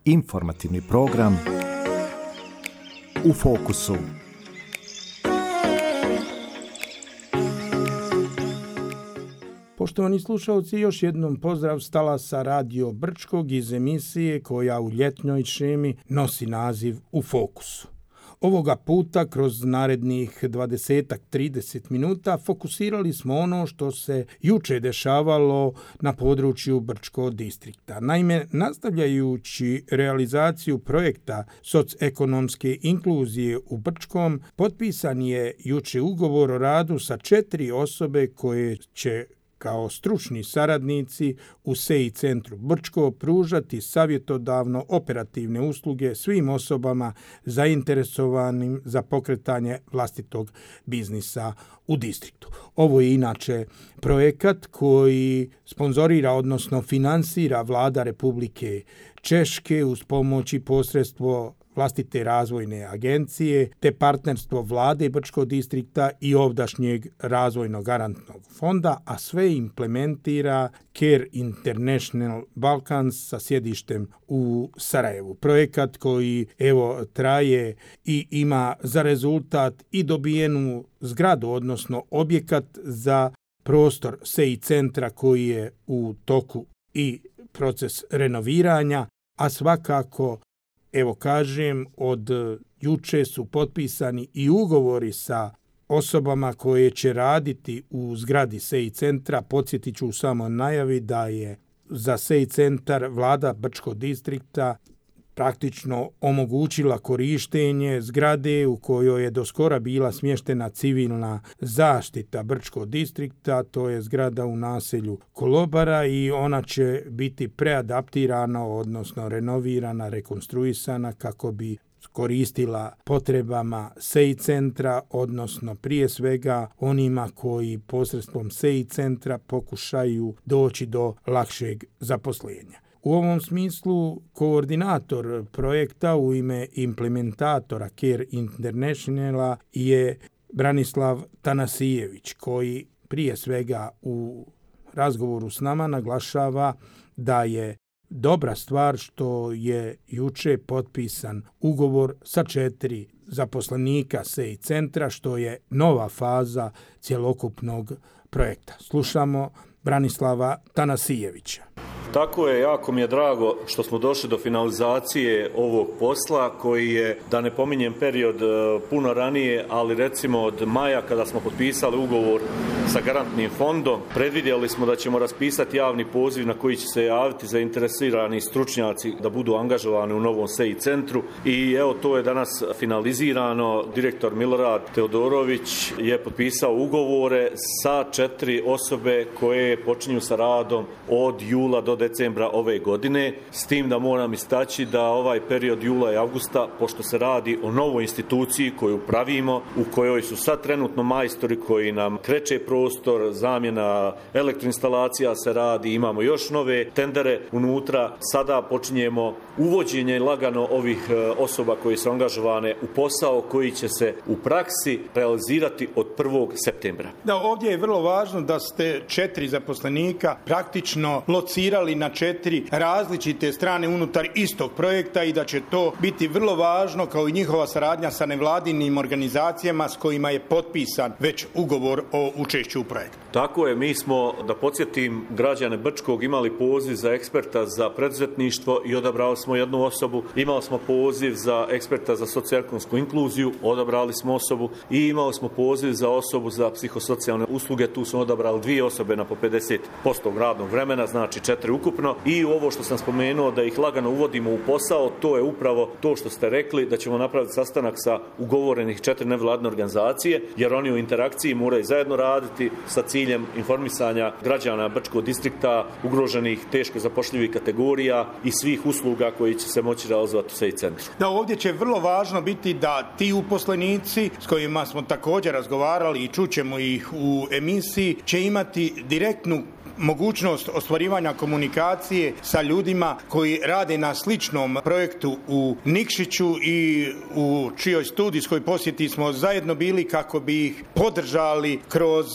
Informativni program U fokusu. Poštovani slušalci, još jednom pozdrav s talasa Radio Brčkog iz emisije koja u ljetnoj šemi nosi naziv U fokusu. Ovoga puta kroz narednih 20-30 minuta fokusirali smo ono što se juče dešavalo na području Brčkog distrikta. Naime, nastavljajući realizaciju projekta socioekonomske inkluzije u Brčkom, potpisan je juče ugovor o radu sa 4 osobe koje će kao stručni saradnici u SEI centru Brčko pružati savjetodavno operativne usluge svim osobama zainteresovanim za pokretanje vlastitog biznisa u distriktu. Ovo je inače projekat koji sponzorira, odnosno finansira Vlada Republike Češke uz pomoć i posredstvo vlastite razvojne agencije te partnerstvo Vlade Brčkog distrikta i ovdašnjeg razvojnog garantnog fonda, a sve implementira Care International Balkans sa sjedištem u Sarajevu. Projekat koji traje i ima za rezultat i dobijenu zgradu, odnosno objekat za prostor SEI centra koji je u toku i proces renoviranja, a svakako od juče su potpisani i ugovori sa osobama koje će raditi u zgradi SEI centra. Podsjetit ću samo najavi da je za SEI centar Vlada Brčkog distrikta praktično omogućila korištenje zgrade u kojoj je doskora bila smještena civilna zaštita Brčkog distrikta, to je zgrada u naselju Kolobara, i ona će biti preadaptirana, odnosno renovirana, rekonstruisana kako bi koristila potrebama SEI centra, odnosno prije svega onima koji posredstvom SEI centra pokušaju doći do lakšeg zaposlenja. U ovom smislu koordinator projekta u ime implementatora Care Internationala je Branislav Tanasijević, koji prije svega u razgovoru s nama naglašava da je dobra stvar što je juče potpisan ugovor sa 4 zaposlenika SEI centra, što je nova faza cjelokupnog projekta. Slušamo Branislava Tanasijevića. Tako je, jako mi je drago što smo došli do finalizacije ovog posla koji je, da ne pominjem period puno ranije, ali recimo od maja kada smo potpisali ugovor sa garantnim fondom, predvidjeli smo da ćemo raspisati javni poziv na koji će se javiti zainteresirani stručnjaci da budu angažovani u novom SEI centru i evo to je danas finalizirano. Direktor Milorad Teodorović je potpisao ugovore sa 4 osobe koje počinju sa radom od jula do decembra ove godine, s tim da moram istaći da ovaj period jula i avgusta, pošto se radi o novoj instituciji koju pravimo, u kojoj su sad trenutno majstori koji nam kreće prostor, zamjena elektroinstalacija se radi, imamo još nove tendere unutra, sada počinjemo uvođenje lagano ovih osoba koje su angažovane u posao koji će se u praksi realizirati od 1. septembra. Da, ovdje je vrlo važno da ste 4 zaposlenika praktično locirali na 4 različite strane unutar istog projekta i da će to biti vrlo važno kao i njihova saradnja sa nevladinim organizacijama s kojima je potpisan već ugovor o učešću u projektu. Tako je, mi smo, da podsjetim građane Brčkog, imali poziv za eksperta za preduzetništvo i odabrali smo jednu osobu, imali smo poziv za eksperta za socioekonomsku inkluziju, odabrali smo osobu i imali smo poziv za osobu za psihosocijalne usluge, tu smo odabrali 2 osobe na po 50% radnog vremena, znači 4 ukupno. I ovo što sam spomenuo da ih lagano uvodimo u posao, to je upravo to što ste rekli, da ćemo napraviti sastanak sa ugovorenih 4 nevladine organizacije, jer oni u interakciji moraju zajedno raditi sa ciljem informisanja građana Brčkog distrikta, ugroženih teško zapošljivih kategorija i svih usluga koji će se moći realizovati u SEI centru. Da, ovdje će vrlo važno biti da ti uposlenici s kojima smo također razgovarali i čućemo ih u emisiji će imati direktnu mogućnost ostvarivanja komunikacije sa ljudima koji rade na sličnom projektu u Nikšiću i u čijoj studijskoj posjeti smo zajedno bili kako bi ih podržali kroz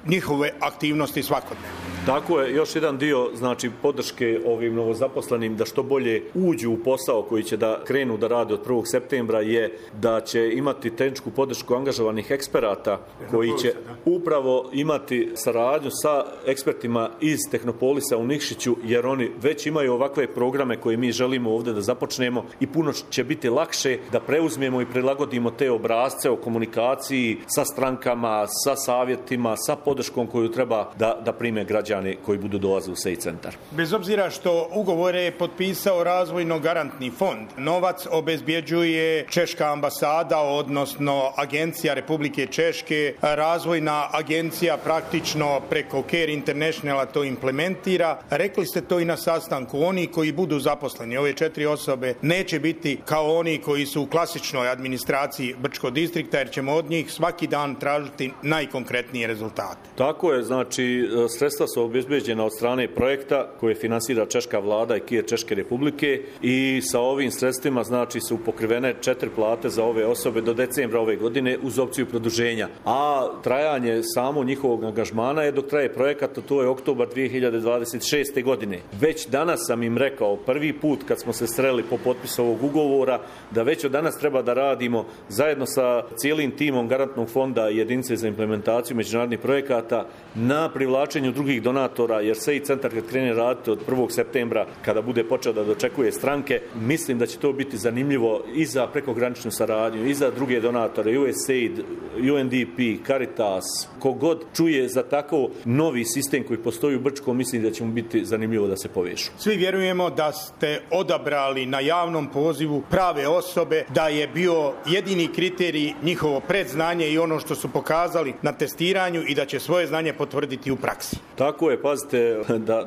njihove aktivnosti svakodnevno. Tako je, još jedan dio znači podrške ovim novozaposlenim da što bolje uđu u posao koji će da krenu da rade od 1. septembra je da će imati tehničku podršku angažovanih eksperata koji će upravo imati saradnju sa ekspertima iz Tehnopolisa u Nikšiću, jer oni već imaju ovakve programe koje mi želimo ovdje da započnemo i puno će biti lakše da preuzmemo i prilagodimo te obrasce o komunikaciji sa strankama, sa savjetima, sa podrškom koju treba da prime građani koji budu dolaze u SEI centar. Bez obzira što ugovore je potpisao Razvojno-garantni fond, novac obezbjeđuje Češka ambasada, odnosno Agencija Republike Češke, Razvojna agencija praktično preko Care Internationala to implementira. Rekli ste to i na sastanku, oni koji budu zaposleni, ove 4 osobe, neće biti kao oni koji su u klasičnoj administraciji Brčkog distrikta, jer ćemo od njih svaki dan tražiti najkonkretnije rezultate. Tako je, znači sredstva su obezbeđena od strane projekta koje finansira Češka vlada i Care Češke Republike i sa ovim sredstvima znači su pokrivene 4 plate za ove osobe do decembra ove godine uz opciju produženja. A trajanje samo njihovog angažmana je dok traje projekat, a to je oktobar 2026. godine. Već danas sam im rekao prvi put kad smo se sreli po potpisu ovog ugovora da već od danas treba da radimo zajedno sa cijelim timom Garantnog fonda i jedinice za implementaciju međunarodnih projekata na privlačenju drugih donatora, jer SEI centar kad krene raditi od 1. septembra kada bude počeo da dočekuje stranke, mislim da će to biti zanimljivo i za prekograničnu saradnju i za druge donatore, USAID, UNDP, Caritas, kogod čuje za tako novi sistem koji postoji u Brčkom, mislim da će mu biti zanimljivo da se povešu. Svi vjerujemo da ste odabrali na javnom pozivu prave osobe, da je bio jedini kriterij njihovo predznanje i ono što su pokazali na testiranju i da će svoje znanje potvrditi u praksi. Tako je, pazite,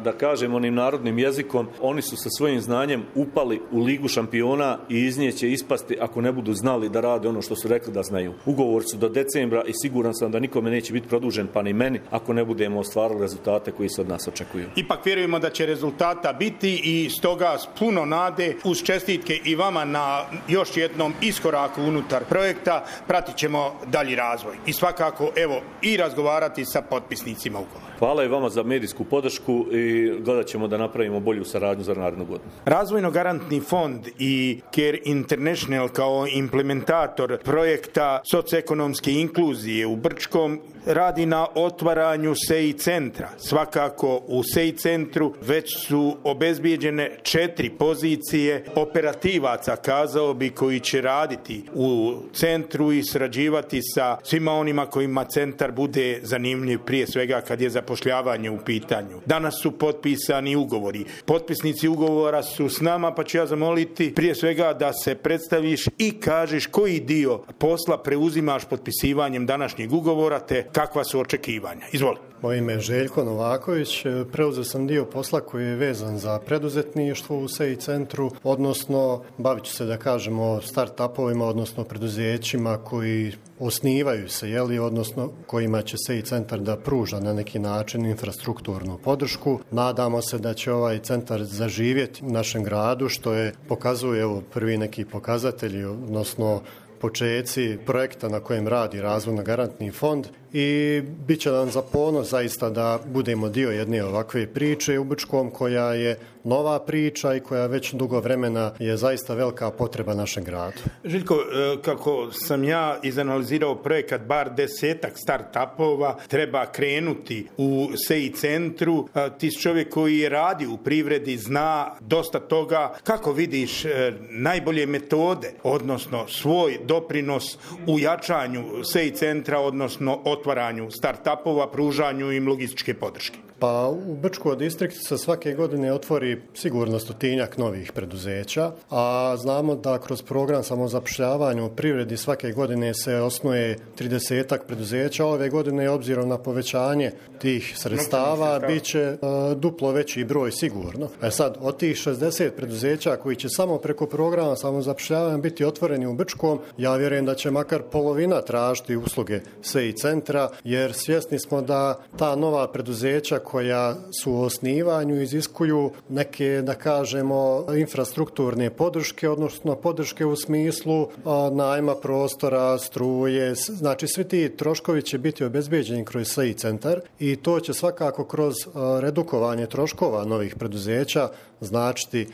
da kažem onim narodnim jezikom, oni su sa svojim znanjem upali u Ligu šampiona i iz nje će ispasti ako ne budu znali da rade ono što su rekli da znaju. Ugovor su do decembra i siguran sam da nikome neće biti produžen, pa ni meni, ako ne budemo ostvarili rezultate koji se od nas očekuju. Ipak vjerujemo da će rezultata biti i stoga s puno nade uz čestitke i vama na još jednom iskoraku unutar projekta pratit ćemo dalji razvoj i svakako evo i razgovarati sa potpisnicima ugovora. Hvala i vama za medijsku podršku i gledat ćemo da napravimo bolju saradnju za narednu godinu. Razvojno-garantni fond i Care International kao implementator projekta socioekonomske inkluzije u Brčkom radi na otvaranju SEI centra. Svakako u SEI centru već su obezbijeđene 4 pozicije operativaca, kazao bi, koji će raditi u centru i srađivati sa svima onima kojima centar bude zanimljiv, prije svega kad je zapošljavanje u pitanju. Danas su potpisani ugovori. Potpisnici ugovora su s nama, pa ću ja zamoliti prije svega da se predstaviš i kažeš koji dio posla preuzimaš potpisivanjem današnjeg ugovora te kakva su očekivanja. Izvoli. Moje ime je Željko Novaković. Preuzeo sam dio posla koji je vezan za preduzetništvo u SEI centru, odnosno bavit ću se, da kažemo, start-upovima, odnosno preduzećima koji osnivaju se, odnosno kojima će SEI centar da pruža na neki način infrastrukturnu podršku. Nadamo se da će ovaj centar zaživjeti u našem gradu, što je pokazuje prvi neki pokazatelji, odnosno počeci projekta na kojem radi Razvojno-garantni fond i bit će nam za ponos zaista da budemo dio jedne ovakve priče u Brčkom koja je nova priča i koja već dugo vremena je zaista velika potreba našem gradu. Željko, kako sam ja izanalizirao projekat, bar 10-ak start-upova treba krenuti u SEI centru. Ti si čovjek koji radi u privredi, zna dosta toga. Kako vidiš najbolje metode, odnosno svoj doprinos u jačanju SEI centra, odnosno otvaranju start-upova, pružanju im logističke podrške? Pa u Brčkom distriktu se svake godine otvori sigurno 100-tinjak novih preduzeća, a znamo da kroz program samozapošljavanja u privredi svake godine se osnuje 30-ak preduzeća. Ove godine, obzirom na povećanje tih sredstava, bit će duplo veći broj sigurno. Sad, od tih 60 preduzeća koji će samo preko programa samozapošljavanja biti otvoreni u Brčkom, ja vjerujem da će makar polovina tražiti usluge SEI centra, jer svjesni smo da ta nova preduzeća koja su u osnivanju iziskuju neke, da kažemo, infrastrukturne podrške, odnosno podrške u smislu najma prostora, struje, znači svi ti troškovi će biti obezbeđeni kroz SEI centar i to će svakako kroz redukovanje troškova novih preduzeća značiti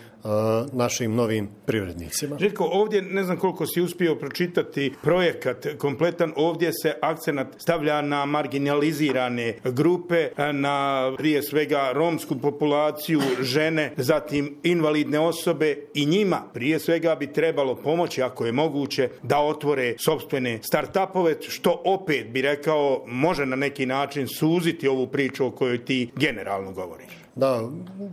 našim novim privrednicima. Željko, ovdje ne znam koliko si uspio pročitati projekat kompletan, ovdje se akcenat stavlja na marginalizirane grupe, na prije svega romsku populaciju, žene, zatim invalidne osobe i njima prije svega bi trebalo pomoći ako je moguće da otvore sopstvene start-upove, što opet bi rekao može na neki način suziti ovu priču o kojoj ti generalno govoriš. Da,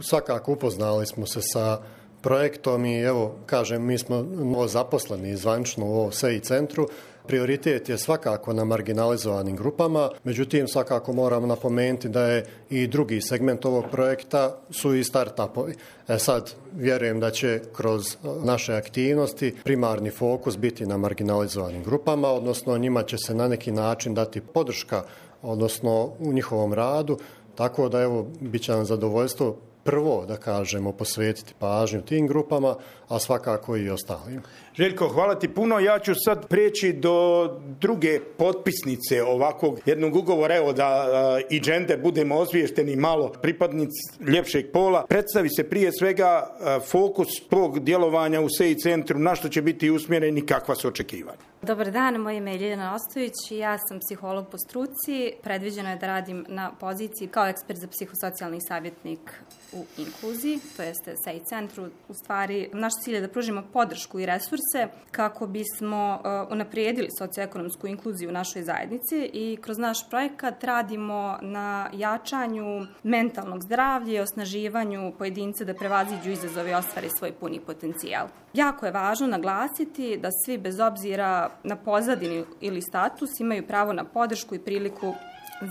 svakako upoznali smo se sa projektom i evo, kažem, mi smo zaposleni zvanično u ovom SEI centru. Prioritet je svakako na marginalizovanim grupama, međutim svakako moramo napomenuti da je i drugi segment ovog projekta su i start-upovi. Sad vjerujem da će kroz naše aktivnosti primarni fokus biti na marginalizovanim grupama, odnosno njima će se na neki način dati podrška, odnosno u njihovom radu, tako da evo, bit će nam zadovoljstvo prvo, da kažemo, posvetiti pažnju tim grupama, a svakako i ostalim. Željko, hvala ti puno. Ja ću sad prijeći do druge potpisnice ovakvog jednog ugovora, evo da i džende budemo osviješteni malo pripadnici ljepšeg pola. Predstavi se prije svega fokus tog djelovanja u SEI centru, na što će biti usmjereni, kakva su očekivanja. Dobar dan, moje ime je Ljiljana Ostojić i ja sam psiholog po struci. Predviđeno je da radim na poziciji kao ekspert za psihosocijalni savjetnik u inkluziji, to jeste SEI centru. U stvari, naš cilj je da pružimo podršku i resurse kako bismo unaprijedili socioekonomsku inkluziju u našoj zajednici i kroz naš projekat radimo na jačanju mentalnog zdravlja i osnaživanju pojedinca da prevaziđu izazove i ostvare svoj puni potencijal. Jako je važno naglasiti da svi bez obzira na pozadinu ili status imaju pravo na podršku i priliku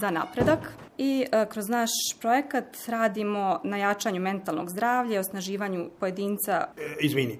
za napredak i kroz naš projekat radimo na jačanju mentalnog zdravlja i osnaživanju pojedinca. Izvini,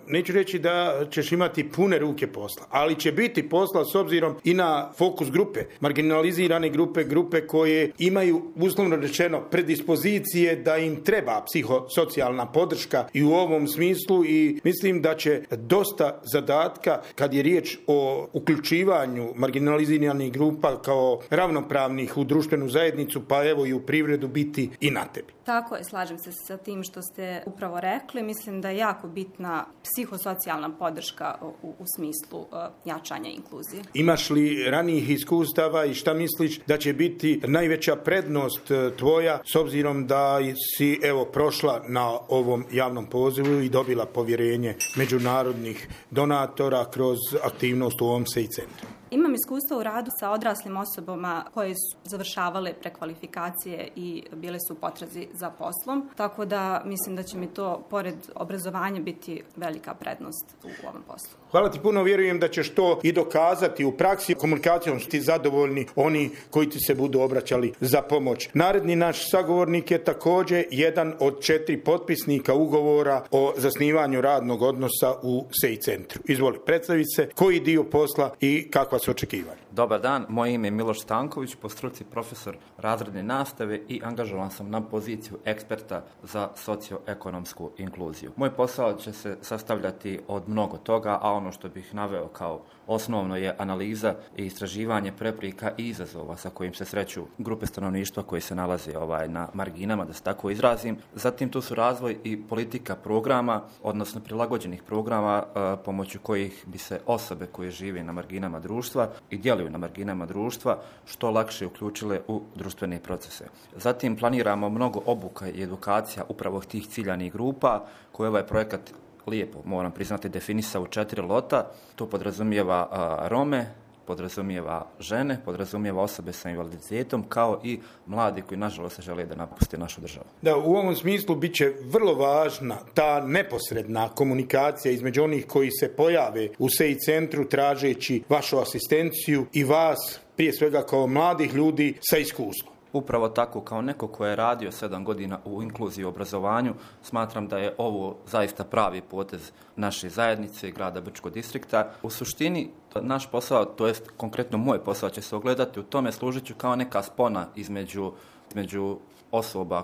neću reći da ćeš imati pune ruke posla, ali će biti posla s obzirom i na fokus grupe, marginalizirane grupe koje imaju, uslovno rečeno, predispozicije da im treba psihosocijalna podrška i u ovom smislu i mislim da će dosta zadatka kad je riječ o uključivanju marginaliziranih grupa kao ravnopravnih u društvenu zajednicu, pa evo i u privredu biti i na tebi. Tako je, slažem se sa tim što ste upravo rekli. Mislim da je jako bitna psihosocijalna podrška u smislu jačanja inkluzije. Imaš li ranijih iskustava i šta misliš da će biti najveća prednost tvoja s obzirom da si evo prošla na ovom javnom pozivu i dobila povjerenje međunarodnih donatora kroz aktivnost u ovom SEI centru? Imam iskustva u radu sa odraslim osobama koje su završavale prekvalifikacije i bile su u potrazi za poslom, tako da mislim da će mi to, pored obrazovanja, biti velika prednost u ovom poslu. Hvala ti puno, vjerujem da ćeš to i dokazati u praksi. Komunikacijom su ti zadovoljni oni koji ti se budu obraćali za pomoć. Naredni naš sagovornik je također jedan od 4 potpisnika ugovora o zasnivanju radnog odnosa u SEI centru. Izvoli, predstavi se koji dio posla i kakva su očekivanja. Dobar dan, moje ime je Miloš Stanković, po struci profesor razredne nastave i angažovan sam na poziciju eksperta za socioekonomsku inkluziju. Moj posao će se sastavljati od mnogo toga, a ono što bih naveo kao osnovno je analiza i istraživanje prepreka i izazova sa kojim se sreću grupe stanovništva koji se nalaze na marginama, da se tako izrazim. Zatim tu su razvoj i politika programa, odnosno prilagođenih programa pomoću kojih bi se osobe koje žive na marginama društva i djeluju na marginama društva što lakše uključile u društvene procese. Zatim planiramo mnogo obuka i edukacija upravo tih ciljanih grupa koje ovaj projekat lijepo, moram priznati, definisao u 4 lota. To podrazumijeva Rome, podrazumijeva žene, podrazumijeva osobe sa invaliditetom, kao i mladi koji nažalost žele da napuste našu državu. Da, u ovom smislu bit će vrlo važna ta neposredna komunikacija između onih koji se pojave u SEI centru tražeći vašu asistenciju i vas, prije svega kao mladih ljudi sa iskustvom. Upravo tako, kao neko ko je radio 7 godina u inkluziji i obrazovanju, smatram da je ovo zaista pravi potez naše zajednice i grada Brčkog distrikta. U suštini, naš posao, to jest konkretno moj posao, će se ogledati u tome, služit ću kao neka spona između osoba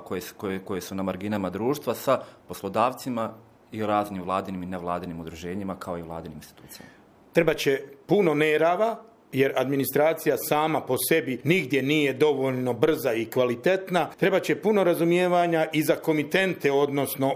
koje su na marginama društva sa poslodavcima i raznim vladinim i nevladinim udruženjima kao i vladinim institucijama. Treba će puno nerava, jer administracija sama po sebi nigdje nije dovoljno brza i kvalitetna. Treba će puno razumijevanja i za komitente, odnosno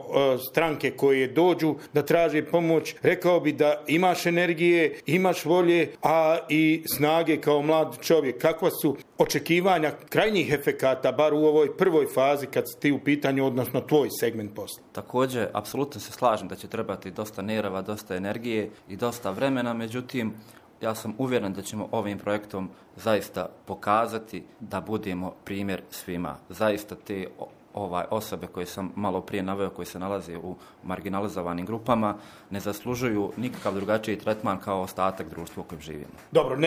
stranke koje dođu da traže pomoć. Rekao bi da imaš energije, imaš volje, a i snage kao mlad čovjek. Kakva su očekivanja krajnjih efekata, bar u ovoj prvoj fazi kad si ti u pitanju, odnosno tvoj segment posla? Također, apsolutno se slažem da će trebati dosta nerava, dosta energije i dosta vremena, međutim, ja sam uvjeren da ćemo ovim projektom zaista pokazati da budemo primjer svima. Zaista te osobe koje sam malo prije naveo, koje se nalaze u marginalizovanim grupama, ne zaslužuju nikakav drugačiji tretman kao ostatak društva u kojem živimo. Dobro,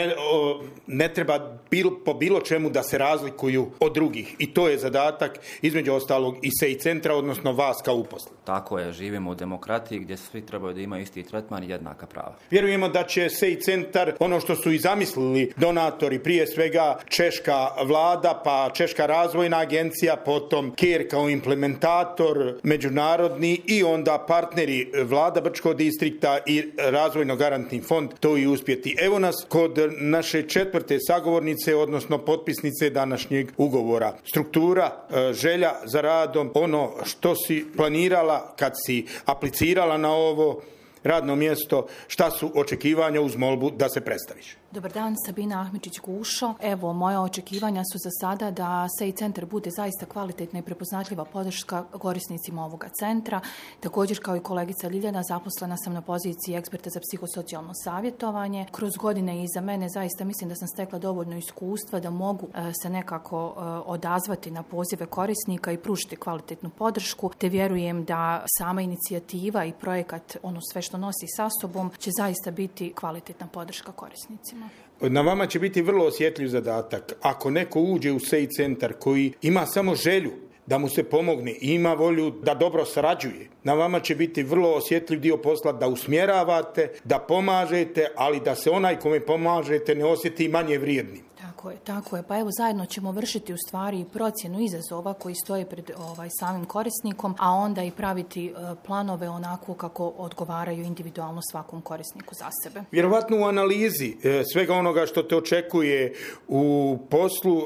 ne treba po bilo čemu da se razlikuju od drugih. I to je zadatak, između ostalog, i SEI centra, odnosno vas kao uposlenih. Tako je, živimo u demokratiji gdje svi trebaju da imaju isti tretman i jednaka prava. Vjerujemo da će SEI centar, ono što su i zamislili donatori, prije svega češka vlada, pa Češka razvojna agencija, potom KER kao implementator međunarodni i onda partneri vlada Brčkog distrikta i Razvojno garantni fond to i uspjeti. Evo nas kod naše 4. sagovornice, odnosno potpisnice današnjeg ugovora. Struktura, želja za radom, ono što si planirala kad si aplicirala na ovo radno mjesto, šta su očekivanja uz molbu da se predstaviš? Dobar dan, Sabina Ahmičić-Gušo. Evo, moja očekivanja su za sada da SEI centar bude zaista kvalitetna i prepoznatljiva podrška korisnicima ovoga centra. Također, kao i kolegica Ljiljana, zaposlena sam na poziciji eksperta za psihosocijalno savjetovanje. Kroz godine iza mene zaista mislim da sam stekla dovoljno iskustva da mogu se nekako odazvati na pozive korisnika i pružiti kvalitetnu podršku, te vjerujem da sama inicijativa i projekat, ono sve što nosi sa sobom, će zaista biti kvalitetna podrška korisnicima. Na vama će biti vrlo osjetljiv zadatak. Ako neko uđe u SEI centar koji ima samo želju da mu se pomogne i ima volju da dobro sarađuje, na vama će biti vrlo osjetljiv dio posla da usmjeravate, da pomažete, ali da se onaj kome pomažete ne osjeti manje vrijednim. Tako je. Pa evo, zajedno ćemo vršiti u stvari procjenu izazova koji stoje pred samim korisnikom, a onda i praviti planove onako kako odgovaraju individualno svakom korisniku za sebe. Vjerovatno u analizi svega onoga što te očekuje u poslu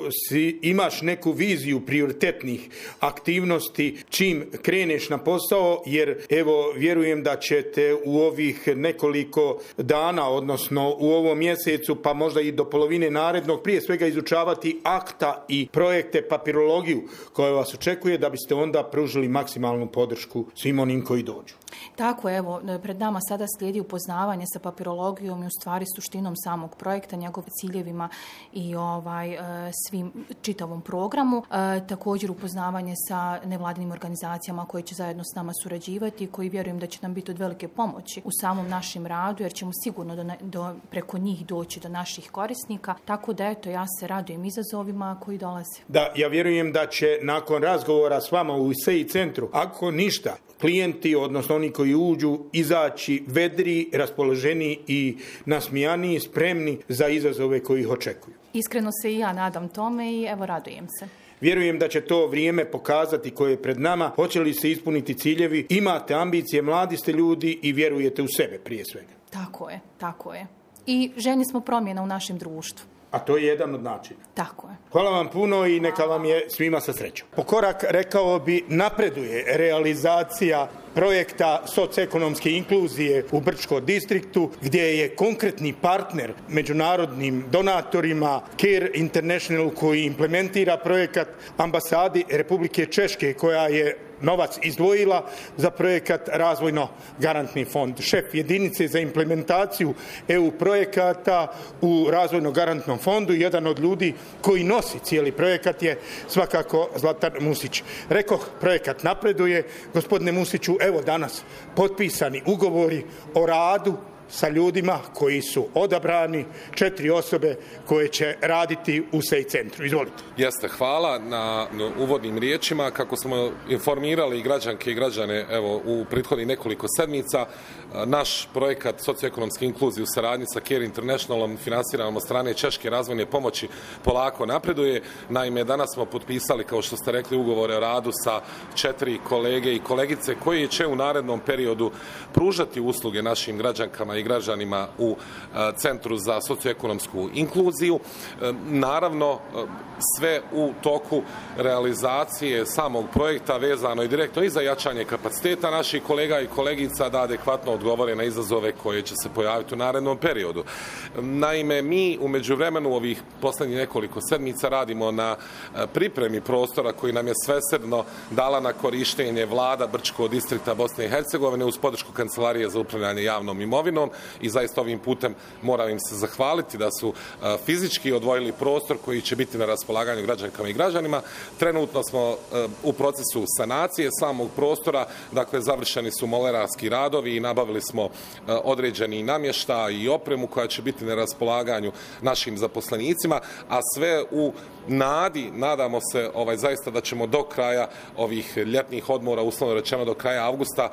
imaš neku viziju prioritetnih aktivnosti čim kreneš na posao, jer evo vjerujem da ćete u ovih nekoliko dana, odnosno u ovom mjesecu, pa možda i do polovine narednog, prije svega izučavati akta i projekte, papirologiju koja vas očekuje, da biste onda pružili maksimalnu podršku svim onim koji dođu. Tako, evo, pred nama sada slijedi upoznavanje sa papirologijom i u stvari suštinom samog projekta, njegovim ciljevima i svim čitavom programu. Također upoznavanje sa nevladinim organizacijama koje će zajedno s nama surađivati i koji vjerujem da će nam biti od velike pomoći u samom našem radu, jer ćemo sigurno preko njih doći do naših korisnika. Tako da eto, ja se radujem izazovima koji dolaze. Da, ja vjerujem da će nakon razgovora s vama u SEI centru, ako ništa, klijenti, odnosno oni koji uđu, izaći vedri, raspoloženi i nasmijani, spremni za izazove koji ih očekuju. Iskreno se i ja nadam tome i evo, radujem se. Vjerujem da će to vrijeme pokazati koje je pred nama, hoće li se ispuniti ciljevi, imate ambicije, mladi ste ljudi i vjerujete u sebe prije svega. Tako je. I željni smo promjena u našem društvu. A to je jedan od načina. Tako je. Hvala vam puno i neka vam je svima sa srećom. Po korak, rekao bi, napreduje realizacija projekta socioekonomske inkluzije u Brčkom distriktu, gdje je konkretni partner međunarodnim donatorima KER International koji implementira projekat, ambasadi Republike Češke koja je novac izdvojila za projekat Razvojno garantni fond. Šef jedinice za implementaciju EU projekata u Razvojno garantnom fondu, jedan od ljudi koji nosi cijeli projekat je svakako Zlatar Musić. Rekoh, projekat napreduje. Gospodine Musiću, evo danas potpisani ugovori o radu sa ljudima koji su odabrani, 4 osobe koje će raditi u SEI centru. Izvolite. Jeste, hvala na uvodnim riječima. Kako smo informirali građanke i građane u prethodnih nekoliko sedmica, naš projekat socioekonomske inkluzije u saradnji sa Care Internationalom, finansiranom od strane Češke razvojne pomoći, polako napreduje. Naime, danas smo potpisali, kao što ste rekli, ugovore o radu sa 4 kolege i kolegice koji će u narednom periodu pružati usluge našim građankama i građanima u Centru za socioekonomsku inkluziju. Naravno, sve u toku realizacije samog projekta vezano i direktno i za jačanje kapaciteta naših kolega i kolegica da adekvatno odgovore na izazove koje će se pojaviti u narednom periodu. Naime, mi u međuvremenu ovih poslednjih nekoliko sedmica radimo na pripremi prostora koji nam je svesrdno dala na korištenje vlada Brčkog distrikta Bosne i Hercegovine uz podršku Kancelarije za upravljanje javnom imovinom i zaista ovim putem moram im se zahvaliti da su fizički odvojili prostor koji će biti na raspolaganju građankama i građanima. Trenutno smo u procesu sanacije samog prostora, dakle završeni su molerarski radovi i nabavili smo određeni namještaj i opremu koja će biti na raspolaganju našim zaposlenicima, a sve u nadi, nadamo se zaista da ćemo do kraja ovih ljetnih odmora, uslovno rečeno do kraja avgusta,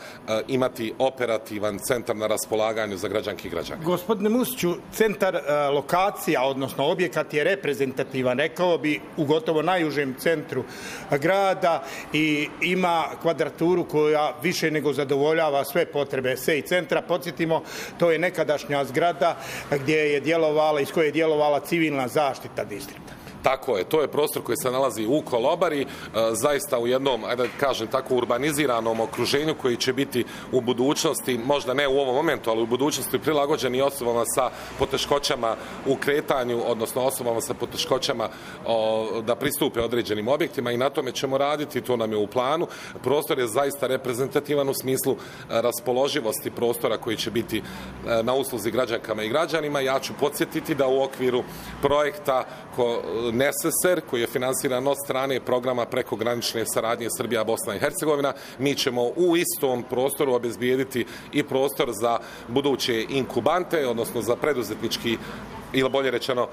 imati operativan centar na raspolaganju za građanke i građane. Gospodine Musiću, centar, lokacija, odnosno objekat je reprezentativan, rekao bi, u gotovo najužem centru grada i ima kvadraturu koja više nego zadovoljava sve potrebe SEI centra. Podsjetimo, to je nekadašnja zgrada iz koje je djelovala civilna zaštita distrikta. Tako je, to je prostor koji se nalazi u Kolobari, zaista u jednom, da kažem tako, urbaniziranom okruženju koji će biti u budućnosti, možda ne u ovom momentu, ali u budućnosti prilagođeni osobama sa poteškoćama u kretanju, odnosno osobama sa poteškoćama da pristupe određenim objektima i na tome ćemo raditi, to nam je u planu. Prostor je zaista reprezentativan u smislu raspoloživosti prostora koji će biti na usluzi građankama i građanima. Ja ću podsjetiti da u okviru projekta NSSR, koji je finansiran od strane programa prekogranične saradnje Srbija, Bosna i Hercegovina, mi ćemo u istom prostoru obezbijediti i prostor za buduće inkubante, odnosno za preduzetnički ili bolje rečeno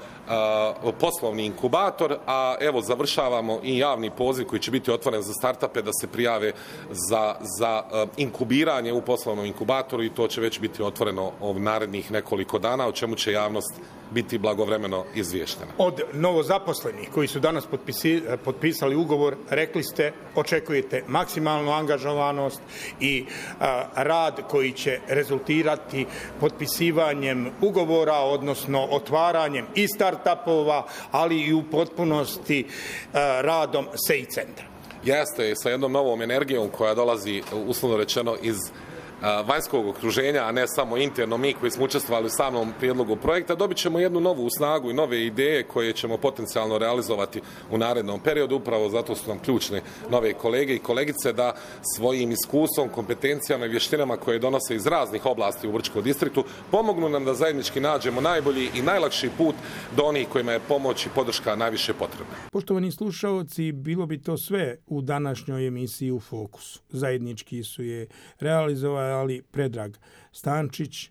poslovni inkubator, a evo završavamo i javni poziv koji će biti otvoren za startupe da se prijave za inkubiranje u poslovnom inkubatoru i to će već biti otvoreno narednih nekoliko dana, o čemu će javnost biti blagovremeno izvještena. Od novozaposlenih koji su danas potpisali ugovor, rekli ste, očekujete maksimalnu angažovanost i rad koji će rezultirati potpisivanjem ugovora, odnosno otvaranjem i startupova, ali i u potpunosti radom SEI centra. Jeste, sa jednom novom energijom koja dolazi, uslovno rečeno, iz vanjskog okruženja, a ne samo interno mi koji smo učestvovali u samom prijedlogu projekta, dobit ćemo jednu novu snagu i nove ideje koje ćemo potencijalno realizovati u narednom periodu. Upravo zato su nam ključne nove kolege i kolegice da svojim iskustvom, kompetencijama i vještinama koje donose iz raznih oblasti u Brčkom distriktu pomognu nam da zajednički nađemo najbolji i najlakši put do onih kojima je pomoć i podrška najviše potrebna. Poštovani slušaoci, bilo bi to sve u današnjoj emisiji U fokusu. Zajednički su je realizovali Predrag Stančić,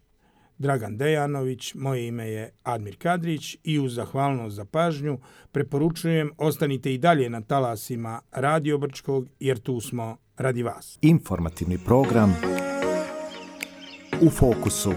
Dragan Dejanović, moje ime je Admir Kadrić i uz zahvalnost za pažnju preporučujem ostanite i dalje na talasima Radio Brčkog jer tu smo radi vas. Informativni program U fokusu.